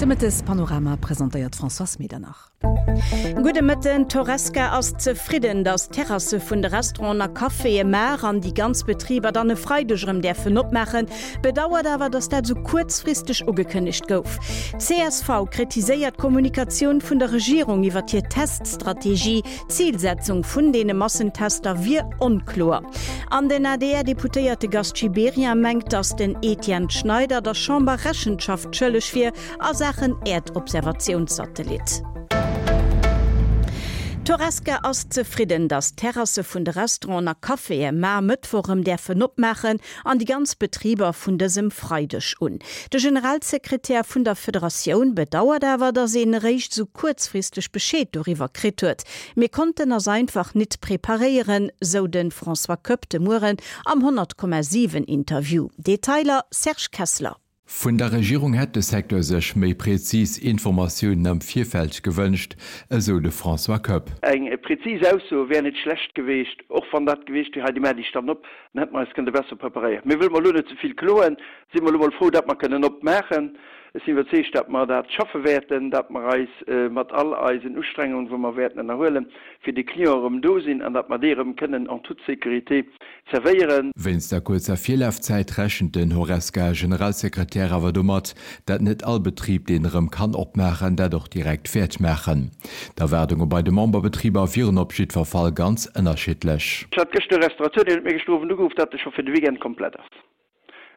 De Mëttespanorama presentéiert d'Françoise Medernach. Gudde Mëtten, D'Horesca ass zefridden, datt d'Terrasse vun de Restauranten a Caféë mar an déi ganz Betriber dann e Freideg erëm däerfen opmaachen, bedauert awer, datt dat esou kuerzfristeg ugekënnegt gouf. Csv kritiséiert d'Kommunikatioun vun der Regierung iwwer hir Teststrategie. D'Zilsetzung vun deene Massentester wier onkloer. An den ADR-Deputéierte Gast Gibéryen mengt, datt den Etienne Schneider der Chamber Rechenschaft schëlleg wier a Saachen Äerdobservatiounssatellit. D'Horesca ass zefridden, datt d'Terrasse vun de Restauranten a Caféë mar Mëttwoch erëm däerfen opmaachen an déi ganz Betriber vun dësem Freideg un. De Generalsekretär vun der Federatioun bedauert awer, datt een eréischt esou kuerzfristeg Bescheed doriwwer kritt huet. Mir konnten ass einfach nit preparéieren, sou de François Koepp de Mueren am 100,7 Interview. Detailer Serge Kessler. Vun der Regierung hätt de Secteur sech méi prezis Informatiounen am Virfeld gewënscht, esou de François Koepp. Eng prezis Ausso wär net schlecht geweecht, och wann dat geweecht wier, hei déi maacht Iech dann op, dann hätte mer eis kënnte besser preparéieren. Mee wëlle mer elo net ze vill kloen, si mer elo mol frou, dat mer kënnen opmaachen. Ech sinn iwwerzeegt, dat mer dat schaffe wäerten, dat mer eis mat all eisen Ustrengungen, wou mer wäerten ënnerhuelen, fir de Client erëm do sinn an dat mer dee erëm kënnen en toute sécurité zerwéieren. Wéinst der kuerzer Virlafzäit rechent den Horesca-Generalsekretär awer domat, dat net all Betrib, deen erëm kann opmaachen, dat och direkt wäert maachen. D'Erwaardunge bei de Memberbetriber wieren op jiddwer Fall ganz ënnerschiddlech. Ech hat gëschter e Restaurateur, deen huet mir gëschter Owend ugeruff, dat e scho fir de Weekend komplett ass.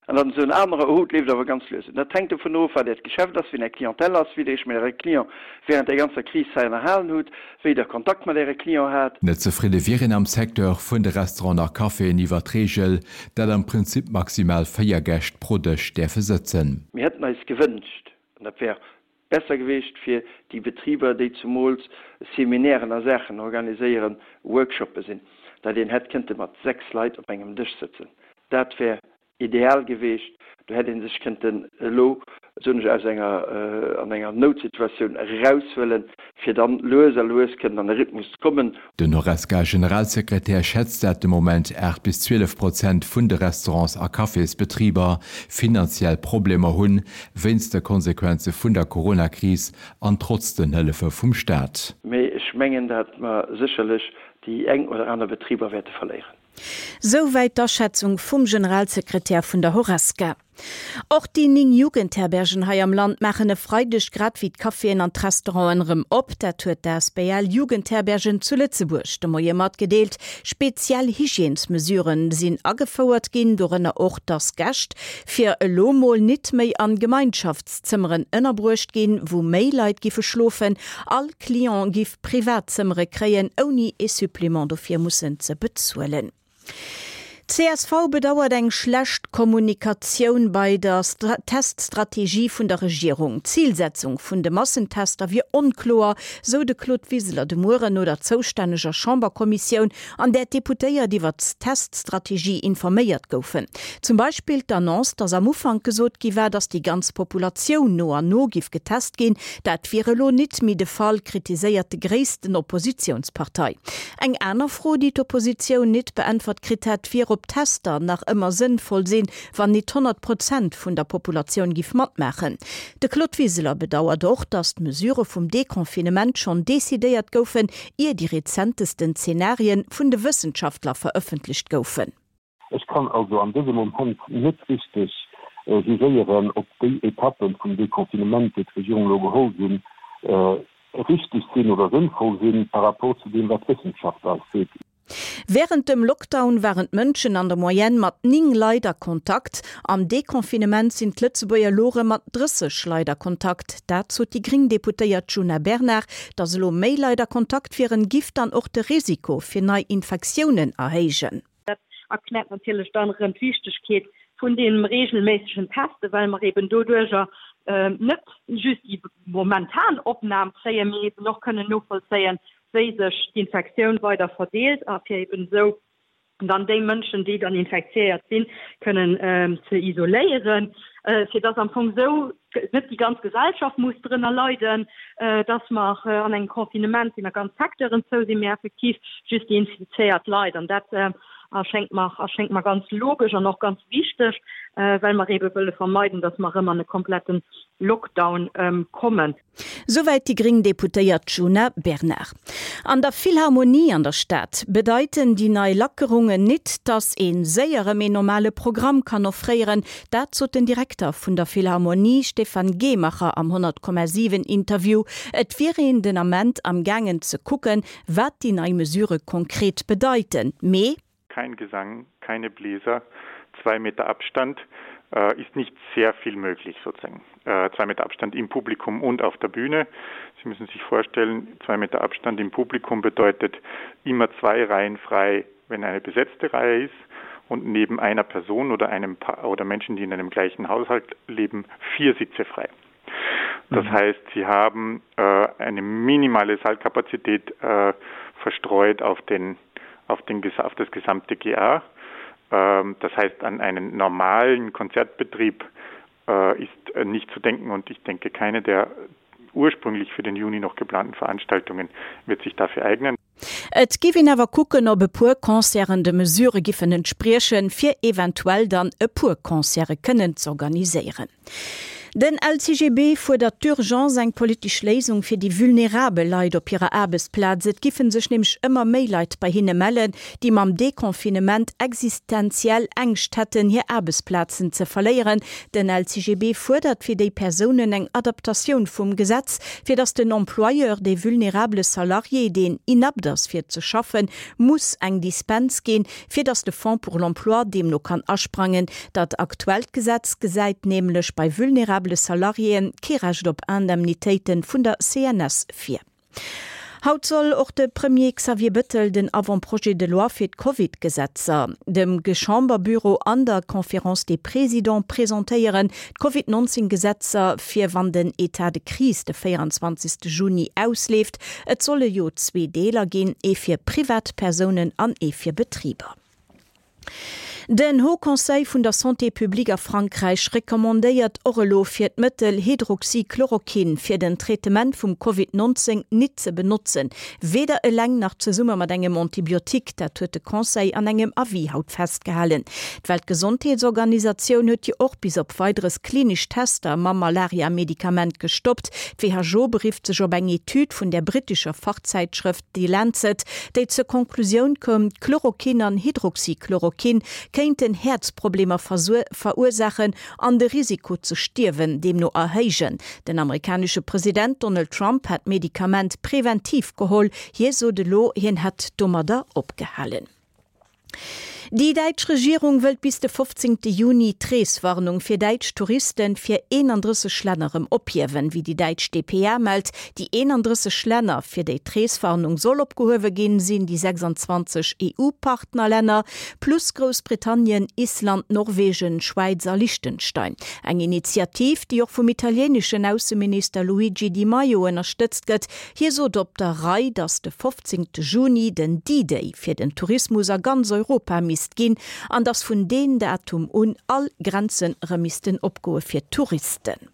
An dann esou en anerer, oh, et leeft awer ganz lues. Dat hänkt dovun of, wat Äert Geschäft ass, wien Är Clientèle ass, wéi Der Iech mat Äre Client während där ganzer Kris hei ënnerhalen hutt, wéi Der Kontakt mat Äre Client hat. Net zefridde wier een am Secteur vun de Restauranten a Caféen iwwer d'Reegel, dat am Prinzip maximal 4 Gäscht pro Dësch däerfe sëtzen. Mir hätten eis gewënscht, an dat wär besser gewiescht fir déi Betriber, déi zumools Seminären a Saachen organiséieren, Workshoppe sinn, dat een hätt kënnte mat 6 Leit op engem Dësch sëtzen. Dat wär ideal geweecht. Do hätt ee sech kënnten elo, soen ech, aus enger, an enger Noutsituatioun eraushuelen, fir dann lues a lues kënnen an e Rhythmus ze kommen. Den Horesca-Generalsekretär schätzt, dat de Moment 8 bis 12 Prozent vun de Restaurants a Cafésbetriber finanziell Problemer hunn, wéinst de Konsequenze vun der Corona-Kris an trotz den Hëllefe vum Staat. Mee ech mengen, dat mer sécherlech déi eng oder aner Betriber wäerte verléieren. Souwäit d'Aschätzung vum Generalsekretär vun der Horesca. Och déi 9 Jugendherbergen hei am Land maachen e Freideg, grad wéi d'Caféen an d'Restauranten, erëm op. Dat huet d'asbl Jugendherbergen zu Lëtzebuerg de Moie matgedeelt. Speziell Hygiènesmesuren sinn agefouert ginn, dorënner och, dass Gäscht fir elo mol nit méi an Gemeinschaftszëmmeren ënnerbruecht ginn, wou méi Leit giffe schlofen. All Client giff privat Zëmmere kréien, ouni ee Supplément dofir mussen ze bezuelen. Csv bedauert eng schlecht Kommunikatioun bei der Teststrategie vun der Regierung. D'Zilsetzung vun de Massentester wier onkloer, sou de Claude Wiseler de Mueren no der zoustänneger Chamberkommissioun, an där d'Deputéiert iwwer d'Teststrategie informéiert goufen. Zum Beispill d'Annonce, datt am Ufank gesot gi war, datt déi ganz Populatioun no an no giff getest ginn. Dat wier elo nit méi de Fall, kritiséiert de gréissten Oppositiounspartei. Eng aner Fro, déi d'Oppositioun nit beäntwert kritt hätt, wier, ob Tester nach ëmmer sënnvoll sinn, wann nit 100 Prozent vun der Populatioun giff matmaachen. De Claude Wiseler bedauert och, datt d'Mesurë vum Deconfinement schonn decidéiert goufen, ier déi rezentesten Zenarien vun de Wëssenschaftler verëffentlecht goufen. Ech kann also an dësem Moment net richteg jugéieren, ob déi Etappen vum Deconfinement, déi d'Regierung elo geholl sinn, richteg sinn oder sënnvoll sinn par rapport zu deem, wat d'Wëssenschaft eis seet. Wärend dem Lockdown waren d'Mënschen an der Moyenne mat 9 Leit a Kontakt. Am Deconfinement sinn d'Lëtzebuerger elo erëm mat 30 Leit a Kontakt. Dat sot déi gréng Deputéiert Djuna Bernard. Datt elo méi Leit a Kontakt wieren, giff dann och de Risiko fir nei Infektiounen erhéijen. Dat erkläert natierlech dann erëm d'Wichtegkeet vun deem regelméissegen Testen, well mer eben doduerjer net just déi momentan Opnam kréien, mee eben och kënnen novollzéien, wéi sech d'Infektioun weider verdeelt a fir eben esou dann déi Mënschen, déi dann infektiéiert sinn, kënnen ze isoléieren, fir dass am Fong esou net déi ganz Gesellschaft muss drënner leiden, dass mer an engem Confinement sinn a ganz Secteuren zou sinn, mee effektiv just déi infizéiert Leit. An dat erschéngt mer, erschéngt mer ganz logesch an och ganz wichteg. well mer eebe wëlle vermeiden, datt mer erëm an e kompletten Lockdown kommen. Souwäit déi gréng Deputéiert Djuna Bernard. An der Philharmonie an der Stad bedeiten déi nei Lackerungen nit, datt ee séier erëm een normale Programm kann offréieren. Dat sot den Direkter vun der Philharmonie Stefan Gehmacher am 100,7 Interview. Et wier een den Ament am gaangen ze kucken, wat déi nei Mesurë konkret bedeiten. Mee. Kein Gesang, keine Bläser, zwei Meter Abstand äh, ist nicht sehr viel möglich sozusagen. Äh, zwei Meter Abstand im Publikum und auf der Bühne. Sie müssen sich vorstellen, zwei Meter Abstand im Publikum bedeutet immer zwei Reihen frei, wenn eine besetzte Reihe ist und neben einer Person oder einem pa oder Menschen, die in einem gleichen Haushalt leben, vier Sitze frei. Das mhm. heißt, sie haben äh, eine minimale Saalkapazität äh, verstreut auf, den, auf, den, auf das gesamte GA. Ähm, das heißt, an einen normalen Konzertbetrieb äh, ist äh, nicht zu denken und ich denke, keine der ursprünglich für den Juni noch geplanten Veranstaltungen wird sich dafür eignen. Et giff een awer kucken, ob e puer Concerten de Mesurë giffen entspriechen, fir eventuell dann e puer Concerte kënnen z'organiséieren. Den LCGB fuerdert d'urgence eng politesch Léisung fir déi vulnerabel Leit op hirer Aarbechtsplaz. Et giffen sech nämlech ëmmer méi Leit bei hinne mellen, déi mam Deconfinement existenziell Ängscht hätten, hir Aarbechtsplazen ze verléieren. Den LCGB fuerdert fir déi Persounen eng Adaptatioun vum Gesetz, fir datt den Employeur de vulnerabele Salarié, deen inapte ass fir ze schaffen, muss eng Dispens ginn, fir datt de Fonds pour l'emploi deemno kann asprangen. Dat aktuellt Gesetz gesäit nämlech bei vulnerabele Salariéen kee Recht op Indemnitéite vun der CNS vir. Haut soll och de Premier Xavier Bettel den Avant-projet de loi fir d'Covid-Gesetzer dem Chamberbüro an der Conférence des Présidents presentéieren. D'Covid 19 Gesetzer fir wann den Etat de crise de 24 Juni ausleeft. Et solle jo zwee Deeler ginn, ee fir Privatpersounen an ee fir Betriber. Den Haut Conseil vun der Santé publique a Frankräich recommandéiert och elo fir d'Mëttel Hydroxychloroquine fir den Traitement vum Covid 19 nit ze benotzen, weder eleng nach zesumme mat engem Antibiotique. Dat huet de Conseil an engem Avis haut festgehalen. D'Weltgesondheetsorganisatioun huet jo och bis op Weideres klinesch Tester mam Malaria-Medikament gestoppt. D'WHO berifft sech op eng Etüd vun der brittescher Fachzäitschrëft The Lancet, déi zur Konklusioun koum, Chloroquin an Hydroxychloroquin kéinten Häerzproblemer verursaachen an de Risiko ze stierwen deemno erhéijen. Den amerikanesche President Donald Trump hat d'Medikament preventiv geholl. Hie sot elo, hien hätt domadder opgehalen. Déi däitsch Regierung wëllt bis de 15 Juni d'Reeswarnung fir däitsch Touristen fir 31 Länner erëm ophiewen, wéi déi däitsch dpa mellt. Déi 31 Länner, fir déi d'Reeswarnung soll opgehuewe ginn, sinn déi 26 EU-Partnerlänner plus Groussbritannien, Island, Norwegen, Schwäiz a Liechtenstein. Eng Initiativ, déi och vum italieeneschen Ausseminister Luigi Di Maio ënnerstëtzt gëtt. Hie sot op der Rei, datt de 15 Juni den D-Day fir den Tourismus a ganz Europa misst ginn an datt vun deen Datum un all Grenzen erëm missten opgoe fir Touristen.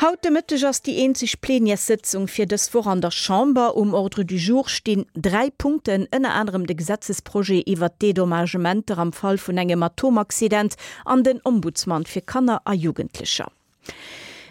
Haut de Mëtteg ass déi eenzeg Plenièressëtzung fir dës Woch an der Chamber. Um Ordre du jour stinn 3 Punkten, ënner anerem de Gesetzesprojet iwwert d'Dédommagementer am Fall vun engem Atomaccident an den Ombudsman fir Kanner a Jugendlecher.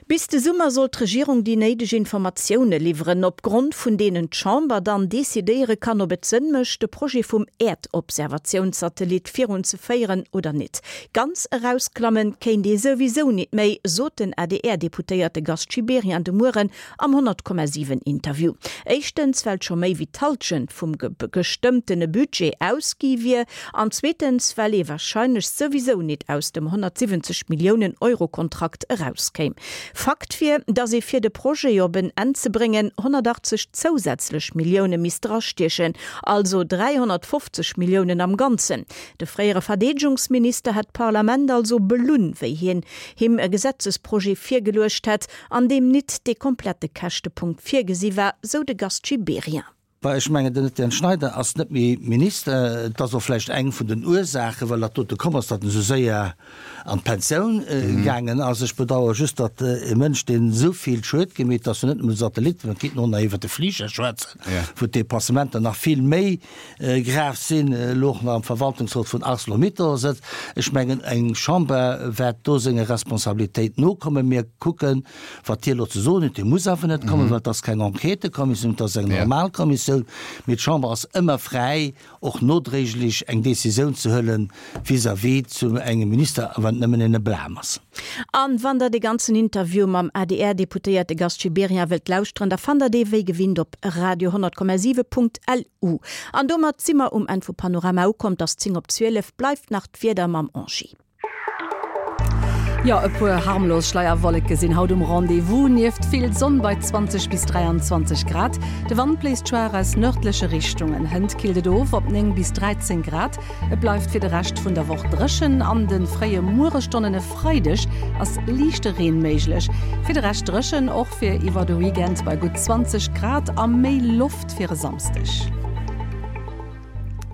Bis de Summer soll d'Regierung déi néideg Informatioune liwweren, op Grond vun deenen d'Chamber dann decidéiere kann, ob et Sënn mécht, de Projet vum Äerdobservatiounssatellit virunzeféieren oder nit. Ganz erausklammen kéint ee souwisou nit méi, sot den ADR-Deputéierte Gast Gibéryen de Mueren am 100,7 Interview. Éischtens, well scho méi wéi d'Hallschent vum gestëmmtene Budget ausgi wier an zweetens, well ee warscheinlech souwisou nit aus dem 170 Milliounen Euro Kontrakt erauskéim. Fakt wier, datt ee fir de Projet op en Enn ze bréngen 180 zousätzlech Millioune misst drastiechen, also 350 Milliounen am Ganzen. De fréiere Verdeedegungsminister hätt d'Parlament also belunn, wéi hien him e Gesetzesprojet virgeluecht hätt, an deem nit dee komplette Käschtepunkt virgesi war, sou de Gast Gibéryen. Bah, ech mengen, den Etienne Schneider ass net méi Minister. Et ass och vläicht eng vun den Ursaachen, well dat dote komm ass, datt en esou séier an d'Pensioun gaangen ass. Ech bedauere just, datt e Mënsch, deen esou vill Schued gemeet, ass jo net nëmmen de Satellit, mä et geet och nach iwwert de Fliger schwätzen, wou d'Dépassementer nach vill méi grav sinn, elo och nach am Verwaltungsrot vun Arcelor-Mittal sëtzt. Ech mengen, eng Chamber wäert do senger Responsabilitéit nokommen. Mir kucken, wat hie elo ze soen huet. Hie muss awer net kommen, well et ass keng Enquêtëkommissioun, et ass eng normal Kommissioun. Mee d'Chamber ass ëmmer fräi, och nodréiglech eng Décisioun ze huelen vis-à-vis zu engem Minister, a wann et nëmmen en Blâme ass. An wann der de ganzen Interview mam ADR-Deputéierte Gast Gibéryen wëllt lauschteren, da fannt der dee wéi gewinnt op radio 100,7.lu. An domat si mer um Enn vu Panorama ukomm. 't ass 10 op 12, bleift nach d'Wieder mam Angie. Jo, e puer harmlos Schleierwolleke sinn haut um Rendez-vous, nieft vill Sonn bei 20 bis 23 Grad. De Wand bléist schwaach aus nërdleche Richtungen, hënt killt et of op 9 bis 13 Grad. Et bleift fir de Rescht vun der Woch dréchen, an de fréie Mueresstonnen e Freideg ass liichte Reen méiglech. Fir de Rescht dréchen, och fir iwwer de Weekend bei gutt 20 Grad a méi Loft fir e Samsdeg.